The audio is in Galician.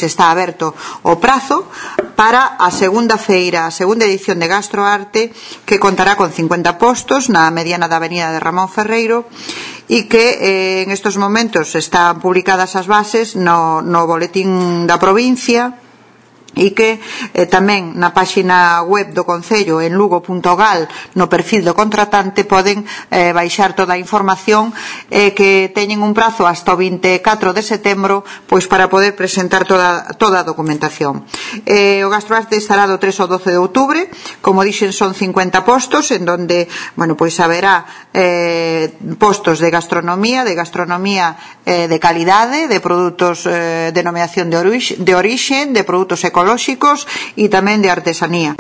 está aberto o prazo para a segunda edición de Gastroarte, que contará con 50 postos na mediana da avenida de Ramón Ferreiro e que en estos momentos están publicadas as bases no boletín da provincia e que tamén na páxina web do Concello en lugo.gal no perfil do contratante poden baixar toda a información que teñen un prazo hasta o 24 de setembro pois para poder presentar toda a documentación. O Gastroarte estará do 3 ao 12 de outubro, como dixen son 50 postos en donde, pois haberá postos de gastronomía de calidade, de produtos denominación de orixe, de produtos ecolóxicos e tamén de artesanía.